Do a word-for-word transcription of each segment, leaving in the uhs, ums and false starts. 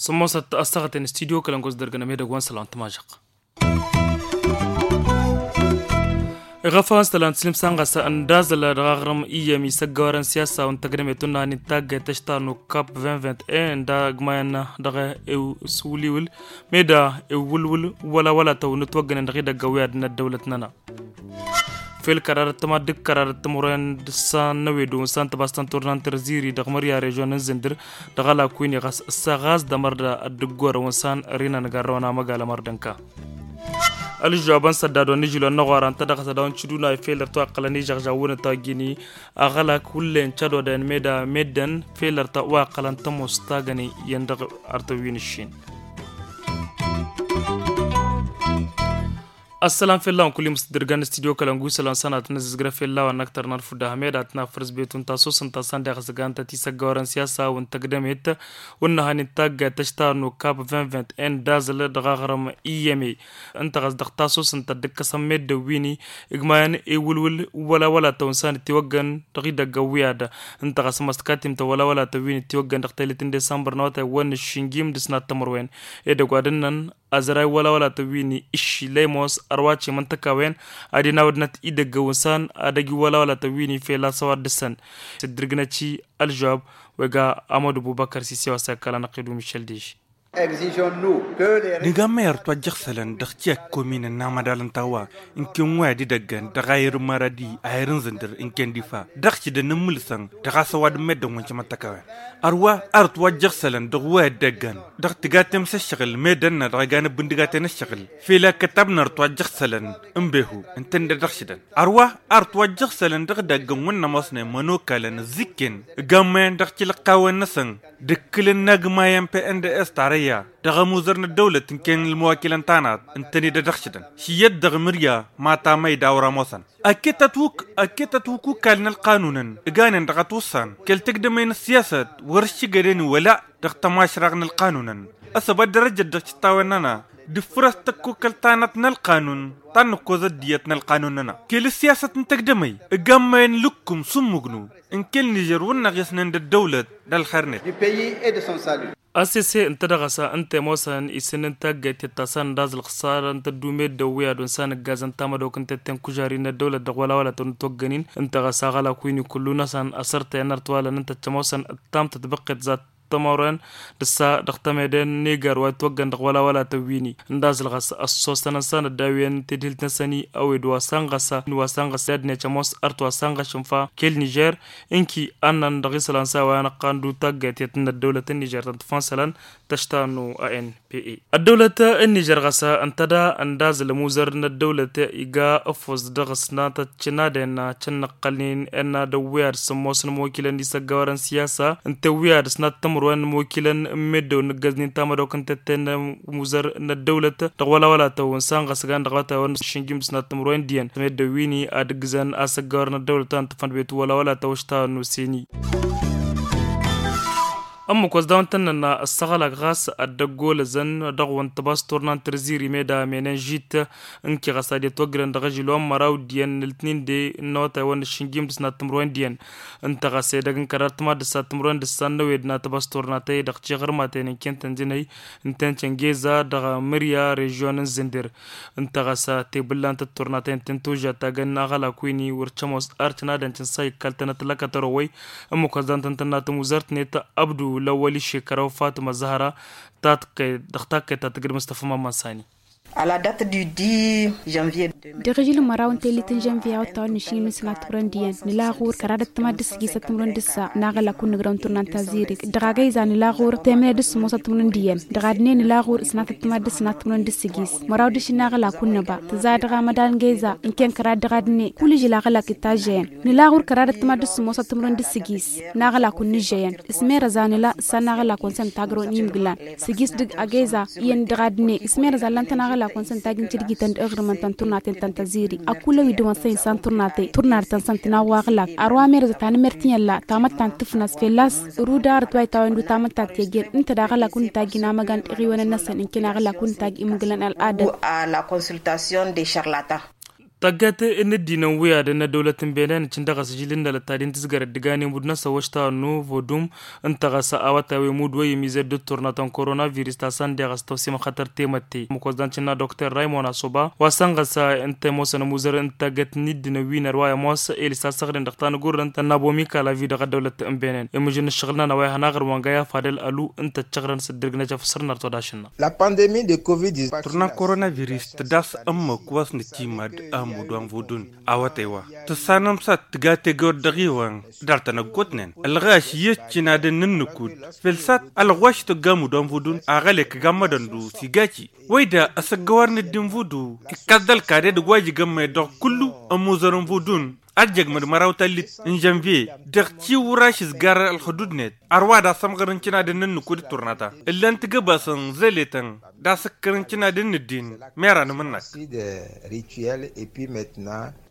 Sǝmmosăt ăssaɣăten studyo kălăngos dăr-gănăm edăgg wa n-sălan tămažăɣ. Iɣăfăɣăn s-tălan tǝslǝm s-anɣăs n-dazăl dăɣ-aɣrǝm iyyăm isăggăwărăn siyasa wa n-tăgdămet wa n-năhăn intaggayt tăštarnu kap vingt vingt et un n-dagmayăn dăɣ-ewǝswǝliwǝl meda ewǝlwǝl wălawăla tăwǝnnǝt wăggănen dăɣ-idăgg ăwwiyad n-ăddăwlăt-nănăɣ. Fel kărar ăttăma d-kărar ăttămărwen d-ǝssan n-ewed wa n-ǝssan tăbas tăn-turna n-tărziri dăɣ-mărya režion n-zǝndǝr dăɣ-alakuyni ɣas ǝssa ɣas d-ămăr d-ăddǝggorăn wa n-ǝssan ărinăn garrăwăn amăgal ămăr d-ǝnka. Ălžžoabăn săddad wa n-ižilon n-aɣora ǝnta dăɣ-s ad-dăɣ-nǝcǝduna fel ărtăwaqălăn ižăɣžawăn ătwăjjǝni aɣălak wǝllen cădodăyăn meda meddǝn fel ărtăwaqălăn tămoos tagăne iyyăn dăɣ-artăwin ǝššin. Ăssălam fell-a-wen kull-i mǝstǝddǝrgăn n-studyo kălăngu isălan săn ad-tăn-ăzzǝzgrăf fell-a-wen n-ăktăr n-ad-fudda hămed ad-tăn-afrǝs betun tasosăn ta săn deɣ s-gantăt isăggawărăn siyasa wa n-tăgdămet wa n-năhăn intaggayt tăštarnu kap vingt vingt et un d-azǝl dăɣ-aɣrǝm iyyăme ǝnta ɣas dăɣ-tasosăn ta dd-ǝkkăsăn meddǝn wi-ni igmayăn iwǝlwǝl wăla wăla tăwǝnsan d-tiwăggăn dăɣ-idăgg ăwwiyad ǝnta ɣas ămăstăkatimtăn wăla wăla tăwǝn d-tiwăggăn dăɣ-telit n-disămbăr n-awătay wa n-ǝššǝnjim d-ǝsnat tămărwen edăgg wa d-ǝnnăn azăray wăla wăla tăwǝn išši lăymos ărwace măntăkawen ad-inawădnăt idăgg ăwǝnsan ad-ăj wăla wăla tăwǝn fel a-s ăwadǝsăn s-dd-irgnăt i-ălžăwab wa iga amădu bubăkăr s-isewăs i-ăkall anăqqed umišăl dež. Nǝgammăy ărtwajjăɣ isălan dăɣ-tiyyăt kominăn n-amădal n-tawwa ǝnken wa i-ad-idăggăn dăɣ-ayǝr n-maradi ayǝr n-zǝndǝr ǝnken difa dăɣ-s idăn n-imǝlǝsăn dăɣ-a-s ăwadǝm meddǝn wa n-cămăttăkawen. Ărwa ărtwajjăɣ isălan dăɣ-wa i-ad-idăggăn dăɣ-tigatem s-ǝššăɣǝl meddǝn-nănăɣ dăɣ-iganăb n-digaten ǝššăɣǝl fel akkătab n-ărtwajjăɣ isălan n-behu ǝntănne dăɣ-s idăn. Ărwa ărtwajjăɣ isălan dăɣ-idăggăn wa n-ămoosnen mănokalăn ǝzzǝkken ǝgammăyăn dăɣ-tilăqqawen-năsăn d-ǝkkǝlăn n-agmayăn pnds tarăyya dăɣ-ămuzăr n-ăddăwlăt ǝnken ălmăwakilăn tanat ǝntăne d-edăɣ s-idăn šǝyyăt dăɣ-mǝrya ma tamăyda wăr-ămoosăn. Ăkket ătwǝk ăkket ătwǝk ukal n-ălqanunăn ǝganen dăɣ-ătwǝssan kăl-tăgdămăy n-ăssiyasăt wăr-ǝššǝgăden wăla dăɣ-tămašrăɣ n-ălqanunăn. Ăsăbăt dărăjăt dăɣ-cǝttawăn-nănăɣ d-ǝffǝrăs tăkkokăl tanăt n-ălqanun ta n-ǝkkoẓăt d-iyyăt n-ălqanun-nănăɣ kăl-ǝssiyasăt n-tăgdămăy ǝgammăyăn lǝkkum s-ǝmmǝgnu ǝnkel nižer wǝnnăɣ i-ăsnen d-ăddăwlăt d-ălxer-net. Asese ǝnta dăɣ-ăsa ǝnta i-ămoosăn isǝnnin taggayt i-ăttasăn d-aẓ ǝlxǝsarăn tăddume d-ăwwiyad wa n-san ǝggazăn tamădok n-tetten kužari n-ăddăwlăt dăɣ-wăla wăla tăwăn-dd-toggănin ǝnta ɣas aɣălak wi n-ikullu-năsăn asărtăyăn ărtwalăn ǝnta t-ămoosăn ǝttam tătbăqqet zat tămăren d-ǝssa dăɣ-tămeden n-egar wa itwăggăn dăɣ-wăla wăla tăwwini ǝnda aẓ ǝlɣas ăssosăn ănsan ăddawiyăn tedhilt-năsăn i-ăwed wa sănɣăsa n-wa sănɣăsa i-ad-net ămoos ărtwa sănɣăšăn fa kel-nižer ǝnki ănnăn dăɣ-isălan s-a-wa inăqqan d-utaggayt i-ad-tǝnnă ăddăwlăt n-nižer tăn-tǝfănsălăn tăšta n-o a n p a ăddăwlăt n-nižer ɣas ǝntăda ănda aẓ ălmuzăr n-ăddăwlăt iga ăffoẓ dăɣ-s natăt cǝnadăn cănnăqqălnen ănn ad-ăwwiyad s-ămoos n-imokilăn d-isăggawărăn siyasa ǝnta ăwwiyad s-nattămărwen n-imokilăn n-meddăw n-ǝggăznen tamădok n-tetten n-imuzăr n-ăddăwlăt dăɣ-wăla wăla tăwwǝn s-anɣăsgan dăɣ-awătay wa n-ǝššǝnjim d-s nattămărwen diyyăn meddăw wi-ni ad-ǝggǝzăn asăggawărăn ăddăwlăt wa n-tǝffăn bet wăla wăla tăwăšta n-oseni. Ǝmmǝk wa s-daw-ǝnta ǝnnăn ăssăɣălak ɣas ad-dd-ăggolăzăn dăɣ-wăn tăbas turna n-tărziri meda menenžit ǝnki ɣas ad-itwăggǝlăn dăɣ-ažil wa n-măraw d-iyyăn n-ǝltnin de n-awătay wa n-ǝššǝnjim d-s nattămărwen d-iyyăn ǝnta ɣas edăgg n-kărar tǝmadd s-ad-tǝmărwen d-ǝssan n-ăwed n-ad-tăbas turna ta-i-dăɣ tiɣărmaten ǝnken tăn-jǝnăy ǝnta-en căngeza dăɣ-mǝrya režion n-zǝndǝr. Ǝnta ɣas tebǝllant d-turna ta-i ǝnta-en tuža tagăn aɣălak wi n-iwǝr cămoos ar cănadăn cǝnsa ikkaltăn ătlăkăt ărowăy ǝmmǝk wa s-dan tăn-tănna tămuzărt-net abdu lăwwăl išekăraw fatma zăhra ta tǝkkăy dăɣ-takkăyt ta tǝgǝd mustăfa mamman sani. Dăɣ-ažǝl n-măraw n-tellit n-žănviye a wăttan wa n-ǝššin n-sănat timǝrwen d-iyyăn nǝla ɣur-kăraḍăt tămadd d-sǝgis ad-timǝrwen d-ǝssa n-aɣălak wa n-nǝgrăw n-turna n-tazzirit. Dăɣ-agăyza nǝla ɣur-temǝne d-sǝmmos ad-timǝrwen d-iyyăn dăɣ-adǝne nǝla ɣur-sănatăt tămadd d-sănatăt timǝrwen d-sǝgis. Măraw d-ašǝnna aɣălak wa n-nǝba tǝza dăɣ-amădan n-găyza ǝnken kăraḍ dăɣ-adǝne kull ažǝl aɣălak itažžăyăn. Nǝla ɣur-kăraḍăt tămadd d-sǝmmos ad-timǝrwen d-sǝgis n-aɣălak wa n-nǝžžăyăn. S-merăza nǝla s-ad-naɣălak wa n-săn tagro n-imǝglan sǝgis dăɣ-agăyza iyyăn dăɣ-adǝne. S-merăza ǝllan-tăn aɣălak Akăwăn-săn tagi n-tidgităn d-aɣrǝmăn ta n-turnaten ta n-tăzziri ăkull a-wi dăɣ-wăn-săn insan turnaten turnar-tăn-săn tǝnawwaɣ lak. Arwa merăzăt anămertinyălla tamăttant tǝfnăs fălla-s. Ruda arăt wa itawăyăn d-tamăttant teggen ǝnta daɣ ălak wǝnnǝt tagi n-amăgan d-iɣiwănăn-năsăn ǝnken aɣlak wǝnnǝt tagi imǝgǝlăn ăl'adăt. Tăgget n-ăddinăn wi ad-ănn ăddăwlăt n-benen ǝccǝn dăɣ-asǝjjǝl n-alăttadi n-tǝzgărăt dǝganen budnăsăn wăšta nu vodum. Ǝnta ɣas awătay wi mudwăy imized d-turna ta n-korona virus ta s-ăndeɣ s-tawsem xătăr temătte măkos dan cǝnna dokter raymon asoba wa săn ɣas ǝnta i-mosăn ămuzăr n-taggăt n-iddǝnăn wi n-ărwa i-ămoos elis asăɣden dăɣ-tanăgurrănt ănnabo mikalavi dăɣ-ăddăwlăt n-benen imǝžǝn n-ǝššăɣǝl-nănăɣ wa ihănaɣ ărwa n-gaya fadăl ălu ǝnta ăccăɣrăn s-ǝddǝrg n-ajăf săr-năr todashin-năɣ. Turna n-korona virus tǝdas ămmăk wa s-nǝtimad ămudu anvudun awătay wa tǝssanăm s-ad-tǝga tegăwăt dăɣ-iwăn. Dar tănăggotnen ălɣaš i-ăccinadăn n-ǝnnǝkud felsat ălɣaš tǝgga amudu anvudun aɣălek ăgammădăn du s-igaci. Wăyda ăsăggăwar n-ăddin vudu ikkaẓ d-ălkade dăgg-wa jigămmăyăt dăɣ-kullu ămuzăr n-vudun. Ad-jăgmăd măraw tallit n-žănviye dăɣ-tiwraš izgar ălxudud-net. Ărwa d-asămɣăr n-cǝnadăn n-ǝnnǝkud d-turna ta ǝllan tǝgăbasăn zeletăn d-asǝkkăr n-cǝnadăn n-ǝddin. Mera n-amǝnnăk.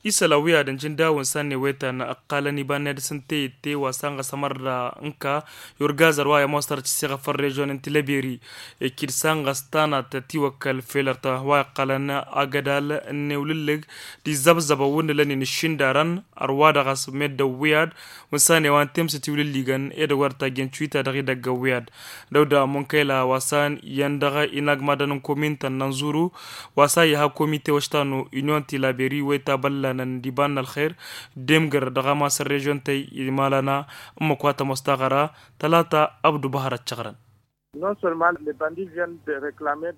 Isălan wi ad-ǝnjǝn dawǝn s-ad-newăytan ǝqqalăn iba-net s-ǝnta i-itte wa s-anɣăs ămărra ǝnka i-urgazăr wa i-ămoosăr tǝsseɣăf ărrežyon n-tilăberi. Ikid s-anɣăs tanat tiwăkkăl felărt wa iqqălăn agădal n-ewlǝllǝg d-izzăbzăbăn wǝnnǝlăn-in ǝššindarăn. Ărwa dăɣ-s meddǝn wi ad-wǝnsan i-wa n-temsǝt iwlǝlligăn edăgg wa dăɣ-tajjăn cuyta dăɣ-idăgg wi ad-dăwda munkăyla wa s-an iyyăn dăɣ-inagmadăn n-komintăn n-anzuru wa s-an iha komite wăštanu inyon tilaberi wa itabăllanăn d-iba n-ălxer d-emgăr dăɣ-amas n-režyon-tăy imalana. Ǝmmǝk wa tămoos taɣăra tălata abdu bahăr ăccăɣrăn.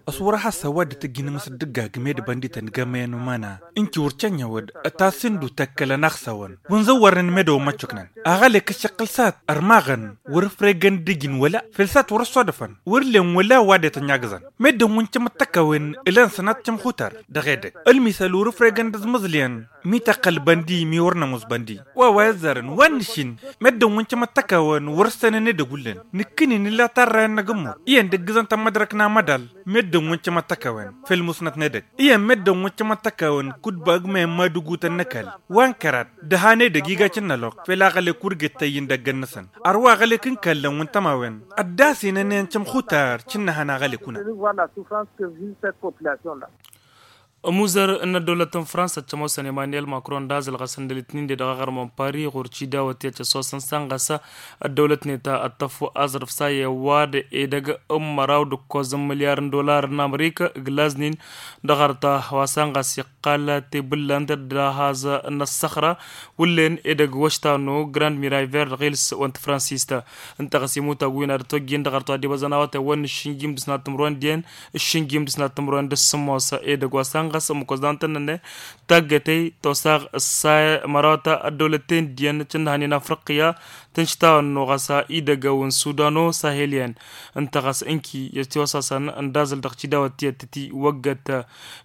Ăswăr a has-săwad d-tǝjjǝn măsdǝggag med băndităn gămăyăn umana ǝnci wăr cănyăwăd. Ătasǝndu tăkkălăn a x-săwăn wănzăwwărnen med ăwămmăccăknen aɣălek ǝššăqqǝl s-ad-ărmaɣăn wăr-ǝfregăn d-ǝjǝn wăla fel s-ad-wăr-ăssodăfăn wăr-len wăla wa d-etănyagǝẓăn. Meddǝn wǝncăm ăttăkăwen ǝlăn sănat cǝmxutar dăɣ-edăgg ălmisăl wăr-ǝfregăn d-azmǝẓliyăn mi tăqqăl băndi mi wăr-nămus băndi wa wa izzarăn wa n-nǝššin. Meddǝn wǝncăm ăttăkăwen wăr-ǝssănăn edăgg wǝllen nǝkkǝni nǝlla tarrayăn n-agǝmmur iyyăn d-ǝggǝzăn tămmădrăk n-amădal. Meddǝn wǝncăm ăttăkăwen fel musnăt n-edăgg iyyăn meddǝn wǝncăm ăttăkăwen kud-bagmăyăn madǝgutăn n-ăkall wa n-kărat d-ăhan edăgg iga cǝnnăloq fel aɣălek wăr gǝttăy i-indăggăn-năsăn. Ărwa aɣălek n-kallăn wǝntămawen ăddasinăn i-ăncăm xutar cǝnnăhăn aɣălek unăn. Ămuzăr n-ăddăwlăt n-fransa ăccămosăn emanuel macron d-azǝl ɣas n-dălitnin-de dăɣ-aɣrǝm n-pari ɣur-cidawăt i-ad-căsosăn s-an ɣas ăddăwlăt-net ad-tăffu aẓrǝf s-a i-ăwwad edăgg n-măraw d-ǝkkoẓ n-milyar n-dollar n-amrika ǝglaznin. Dăɣ-arta wa s-an ɣas iqqal tebǝllant d-ahaz n-ăssăxra wǝllen edăgg wăštanu grand miray verd ɣils wănt fransista. Ǝnta ɣas imutag wi n-ad-tojjen dăɣ-arta wa d-ibăẓăn awătay wăr n-ǝššǝnjim d-ǝsnat timǝrwen d-iyyăn ǝššǝnjim d-ǝsnat timǝrwen d-ǝssǝmmos edăgg wa s-an ɣas ǝmmǝk wăzdan tăn-nănne. Taggătăy tosaɣ ǝssay mărawta ăddăwlăt-ten d-iyyăn cǝnnăhăn i-nafrăqqiya tǝnštawăn-nu ɣas idăgg-awǝn sudano sahelyăn. Ǝnta ɣas ǝnki i-tiwăsasăn ǝndazǝl dăɣ-tidawăt tiyyăt tǝtiwăggăt.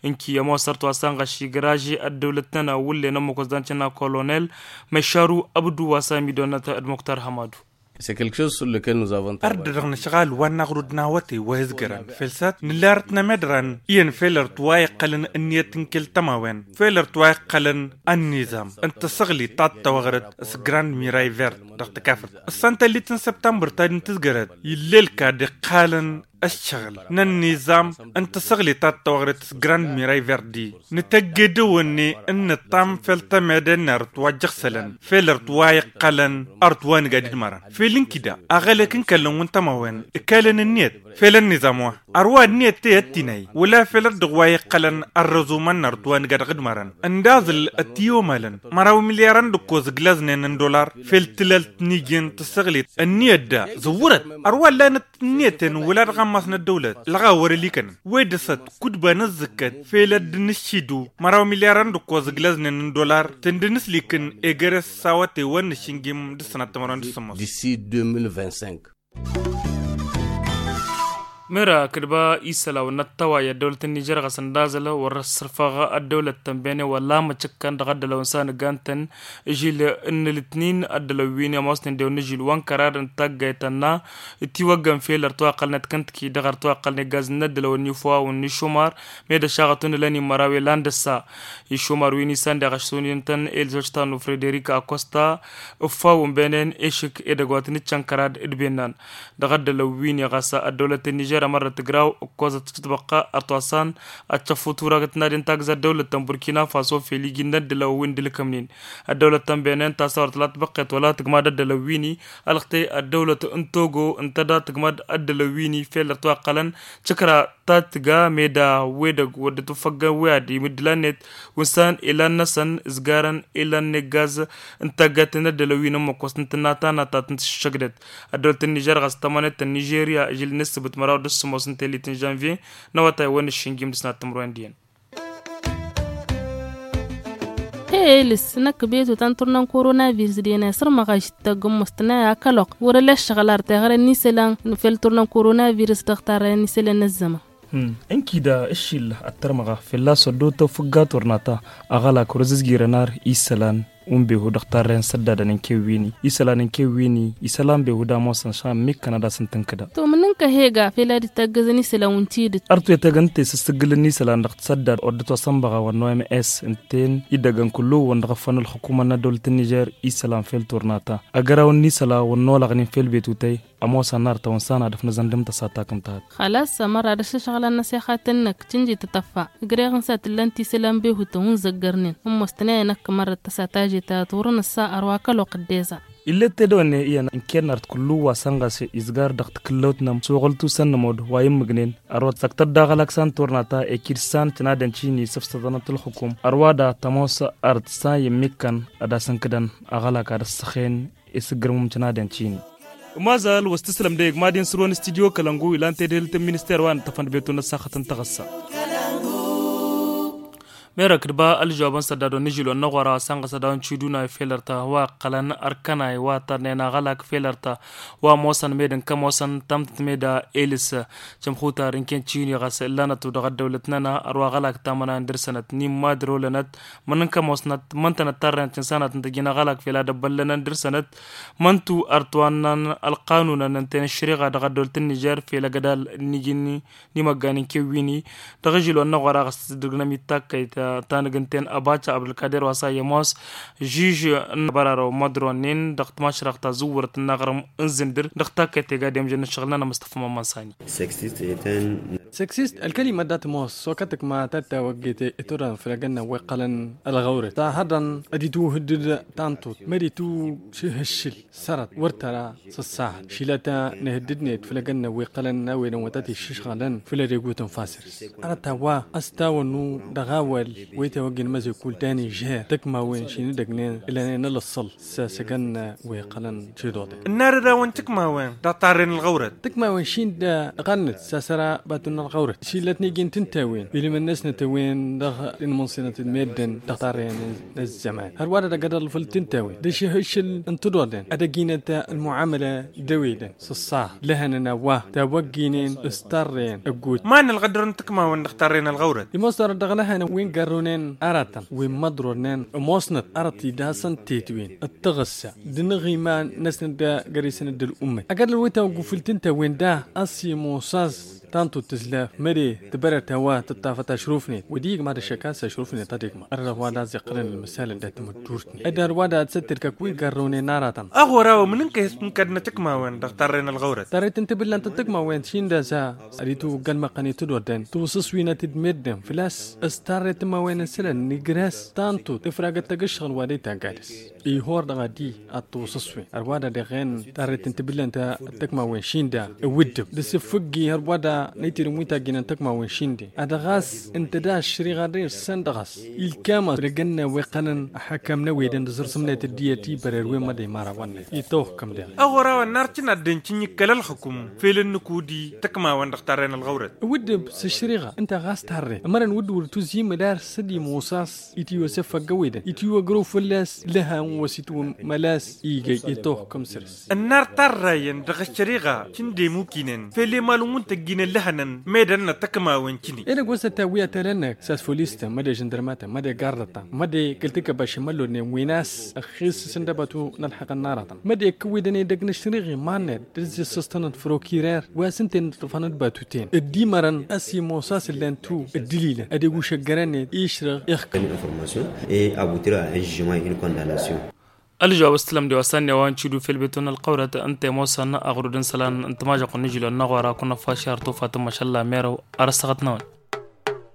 Ǝnki ămoosărt wa s-anɣăš igraže ăddăwlăt-nănăɣ wǝllen ămmăk wăzdan cǝnna kolonel măšaru ăbdu wa s-amidonăt d-muktar hămadu. Ărdădăɣ n-ašɣal wa n-aɣrud n-awătay wa izgărăn fel s-ad-nǝlla arăt n-amedran iyyăn fel ărăt wa iqqălăn ǝnniyăt n-kăl-tămawen fel ărăt wa iqqălăn ănnizam n-tăsăɣlit ta d-tăwăɣrăt s-grand miray verd. Dăɣ-tăkafărt ǝssan tallit n-săbtămbăr ta d-intǝzgărăt ill'-e ălkad iqqalăn ăššăɣǝl n-ănnizam n-tăsăɣlit ta d-tăwăɣrăt s-grand miray verd-i. Nǝtăgg edăwănne n-nǝṭṭam fel tămede n-arăt wa ăjjăɣsălăn fel arăt wa iqqălăn arăt wa nǝga d-idmărăn fel ǝnkǝda aɣălek n-kăllăn wǝntămawen ǝkalăn ǝnniyăt fel ănnizam wa ărwa ǝnniyăt tey ăttinay wăla fel ăddăɣ wa iqqălăn ărrăzumăn n-arăt wa nǝga dăɣ-idmărăn. Ǝndaẓǝl ăttiyomalăn măraw milyarăn d-ǝkkoẓ ǝglaznen n-dolar fel tǝlălt n-iji n-tǝssăɣlit ǝnniyăt da zǝwwărăt. Ărwa ǝllanăt ǝnniyăten wăla dăɣ-ammas n-ăddăwlăt ălɣawăr ălikănăn. Wed-dăɣ s-ad-kudba n-ǝzzǝkkăt fel ad-dd-nǝššidu măraw milyarăn d-ǝkkoẓ ǝglaznen n-dolar tǝndǝn s-likǝn egăres s-awătay wa n-nǝššǝnjim d-ǝssănat timărwen d-sǝmmos. D'ici deux mille vingt-cinq. Mera kǝdba isălaw n-ăttăway ăddăwlăt n-nižer ɣas ăndazăl wăr-ăssărfăɣ ăddăwlăt tănbene wăla măcǝkkăn dăɣ-ăddălăw n-sanăggan-tăn. Žil n-ǝlǝtnin ăddălăw wi n-ămoosnen dew n-ažil wa n-kărar n-taggayt tănna. Itiwăggăn fel ărtăw a ăqqălnet kăntăki dăɣ-ărtăw a ăqqălnet gaz n-ăddălăw n-ifăwawăn n-išumar. Meda šaɣătun ǝlăn imăraw i-lan dăr-sa išumar wi n-isan deɣ ašsunintăn elzoj tanu frederik akosta. Ǝffawăn benen ešǝk edăgg wa tăn-ǝccăn kărad d-bennan. Dăɣ-ăddălăw wi n-iɣas ăddăwlăt n-nižer ămărrăt tǝgraw ǝkkozăt s-tibăqqa ărtoasan. Ad-tăffu turagăt n-ad-intagǝz ăddăwlăt n-burkina faso fel iji n-ăddălăw wi n-dălkămnen. Ăddăwlăt n-benen tasawărt la tibăqqet wăla tǝgmad ăddălăw wi n-i. Ălxte ăddăwlăt n-togo ǝntăda tǝgmad ăddălăw wi n-i fel ărtăw a ǝqqălăn. Căkra ta tǝga meda wedăg wăr dd-tufăggăn wi ad-imǝddǝl ănnet. Wǝnsan ilan-năsăn ǝzgarăn ilan n-eggaz n-taggayt n-ăddălăw wi n-ămmăkkost n-tǝnna ta n-ad-ta tǝnta šăgdăt. Ăddăwlăt n-nižer ɣas tămănet n-nižerya žil n-ǝssǝbǝt măraw d-ǝssǝmos n-telit n-žănvye n-awătay wa n-ǝššǝnjim d-ǝsnat timǝrwen d-iyyăn. Elǝs năkk betu ta n-turna n-koronavirǝs d-ena isărmăɣ ažǝttăgg ǝmmăstănay akăloq wăr-ăla ǝššăɣǝl ar teɣăre n-isălan fel turna n-koronavirǝs dăɣ-tarrăyăn isălan n-ăzzăman. Ǝnkida ǝššil ăttărmăɣa fălla-s ăddootăw fǝgga turnata. Aɣălak wăr-ăzǝzjirăn ar isălan unbehu dăɣ-tarrăyăn săddadăn n-kewwini isălan n-kewwini isălan behu d-amosăn šan mikkăn ad-asǝn tǝnkǝdăn. Tumǝnǝnkăhe ga fel ad-dd-taggăzăn isălan wǝntidǝt. Ărtu i-tegăn ǝnta i-sǝssǝggǝlăn n-isălan dăɣ-tăsăddad wăr dd-tosănbăɣa wăr n-oms ǝnta-en iddăgăn kullu-wăn dăɣ-ăffăn ǝlxǝkumăn n-ăddăwlăt n-nižer isălan fel turnata. Agăraw n-isălan wăr n-olăɣnen fel betutăy. Ămoos annar tăwăn s-anadăf n-azăndăm tăsatak n-tahat. Xalas ămăra d-ašăšɣălăn n-asexat-năk cǝnji tătăffa. Gre-ɣ n-sa tǝllan tisălan behutăn wǝnzăggărnen ămoos tănăyăn ăkk mărrăt tăsa taje tahat wăr-nǝssa ărwa kăloq dd-eza. Illet tedăwănne iyyăn ǝnken art kullu wa sănɣase izgar dăɣ-tǝkǝllăwt-năm s-oɣăltu s-ănnămod wa immǝgnen. Ărwa tăsăktăt d-aɣălak s-an turnata ekid s-an tǝnadăn cini săfsăḍănăt ǝlxǝkum ărwa da tămoos art s-an immǝkkăn ad-asǝnkǝdăn aɣălak ad-ăssăxen. Isǝggǝrmǝm tǝnadăn cini. Mazal wăr s-tǝslăm dăɣ-egg mad-in sǝrwăn studyo kălăngu ilan tedhǝlt n-minister wa n-tăfăn d-betu n-ăssaxăt n-taɣǝssa. Merăk d-ba ălžawăbăn sădda dăɣ-nǝžǝl wa n-năɣora sănɣăs ad-dăɣ-nǝcǝduna i-felăr ta wa ăqqălăn ărkăna i-wa tărnen aɣălak felăr ta wa ămoosăn med n-kămoosăn tămtăt meda elǝs. Cămxutar n-ken cini ɣas ǝllanăt-u dăɣ-ăddăwlăt-nănăɣ ărwa aɣălak tamăna n-dăr-sănăt n-immadrolănăt. Mănănkămosnăt măntănăt tarrăyăn tǝnsanăt n-tăjjin aɣălak fel ad-ăbbăllănăn dăr-sănăt. Măntu ărtwannăn ălqanunăn ǝnta-en ăššăriɣa dăɣ-ăddăwlăt n-nižer fel agădal n-iji n-imăggan n-kewwini. Dăɣ-ažil wa n-năɣora ɣas tǝsdǝrgnăm-dd takkăyt ta n-ǝgg ǝnta-en ăbaca abdulkader wa s-a i-ămoos žiž n-abărarăw mădronen dăɣ-tmašrăɣt ta zǝwwărăt n-aɣrǝm n-zǝndǝr dăɣ-takkăyt iga demjăn n-ǝššăɣǝl-nănăɣ măstăfa mămman sani. Sexist ălkălimăt dat-ămoos sokătăk ma tattawăgget i-turăn făll-agănna wi ǝqqălăn ălɣăwrăt ta hărăn ad-itwǝhǝddǝd tanṭut mări tušǝhǝššǝl sărăt wăr tăra s-ăṣṣahăt šilăt nǝhǝddǝdnet făll-agănna wi ǝqqălăn n-a-wen ănwătăt iššǝšɣălăn făll-ad-egutǝn fasăr. Arăt a-wa ăstawănnu dăɣ-awăl wi tewăggen măzekul ta n-ižher tăkmawen šinǝdăgnen ǝlănen ălăṣṣăl s-asăgăn wi ǝqqălăn. Ănnarăd-awăn tǝkmawen dăɣ-tarren ălɣăwrăt. Tǝkmawen šin-dd ăɣannăt s-asăra batun n-ălɣăwrăt šilăt n-iji n-tǝntawen ilmăn-năsnăt a-wen dăɣ-inmǝnṣinăt d-meddǝn dăɣ-tarren n-ăzzăman hărwa-dăɣ ad-ăḍlăl făll-tǝntawen d-ašǝhǝššǝl n-tǝḍodăn ad-ăjjinăt ălmuamăla d-ewedăn s-ăṣṣaha lăhănăn a-wa tawăgginen s-tarren ăggut. Ma n-ălɣădăr n-tǝkmawen dăɣ-tarren ălɣăwrăt. Imoos tarăt dăɣ-lăhănăn wi n-garrunen aratăn wi n-măḍrornen ămoosnăt arăt-i d-asăn tetwen d-taɣǝssa d-inǝɣ iman-năsnăt d-găr-isnăt d-ălummet ăgg-ădăl wi tawăggu făll-tǝnta-wen da ăsimosas tantu tǝzlaf măre tibărăt a-wa tǝṭṭafăt ašrufnet wădiyăg mad-ăššăk a-s ašrufnet ad-igma ărrăɣ wa d-aẓ iqqălăn ălmǝsalăn dat-tamăddurt-net ăddar wa d-ad-săttǝrkăk wi n-garrăwnen aratăn. Aɣora-wăn mǝnǝnkăy s-tǝnkădnăt tǝkmawen dăɣ-tarren ălɣăwrăt tarret n-tibǝllant n-tǝkmawen šindăza ad-itwǝgg ălmăqqăn i-tǝdodden tǝwsǝswinăt d-meddǝn făl-a-s s-tarret tǝmmawen n-isălan n-igras tantu tǝfragăt tăgg-ǝššăɣǝl wa d-itaggadăs ihor dăɣ-adi ad-tǝwsǝswen ărwa da dăɣ-en tarret n-tibǝllant d-tǝkmawen šinda iwǝddǝb d-asǝffǝggi ărwa da n-aytedăn wi tajjǝnăn tǝkmawen šinde ad-ɣas ǝnta da ăššăriɣa dăr-săn dăɣ-s ilkam ad-ăgg-ănna wi ǝqqălăn ăḥăkkam n-ewedăn d-aẓrǝsǝmnet d-iyyăt i-bărăr wi n-măḍe imărawăn-net itawăkkăm deɣ. Aɣora-wăn n-arcǝn ad-dd-ăncǝnjǝkkăl ălxǝkum fel ǝnnǝk udi tǝkmawen dăɣ-tarren ălɣăwrăt. Iwǝddǝb s-ăššăriɣa ǝnta ɣas tarren ămărăn wǝddǝwăr tuzimăd ar s-ădimoos a-s itiwăsăf ăgg-ewedăn itiwăgrăw fălla-s lăhan wa s-itwǝmmăl a-s igăy itawăkkăm săr-s. Ănnar tarrayăn dăɣ-ăššăriɣa šǝndem ukǝynen fel emalǝn wi n-tăjjǝnăn. Lăhănăn medăn n-atăkma wăn kine. Edăgg wăsăt ta wi ătălăn-năk s-asfolistăn măde žăndărmatăn măde gardătăn măde kăl-tǝkăbašăn măllodnen wi n-ass ăxxis s-ǝndăbătu n-ălxăqăn n-aratăn măde kăwwidăn edăgg n-ašrăɣ iman-net d-ǝzzǝssăstăn d-frokirer wa s-ǝnta-en ǝṭṭǝfăn d-batuten ăddimărăn a-s imosa s-ǝllan-tu ăddǝlilăn ad-igušăggărăn-net išrăɣ. Ixkăn informasiyon e abutira n-žžimay n-kondanasyon. Ălžăwab s-tǝlăm d-iwasa n-ewa n-cidu fel beton ălqăwrăt ǝnta i-ămoosăn aɣrud n-isălan n-timažăqq n-ižilon n-aɣora kunăffaši ar tufat n-mašalla merăw ar ăssaɣăt-năwăn.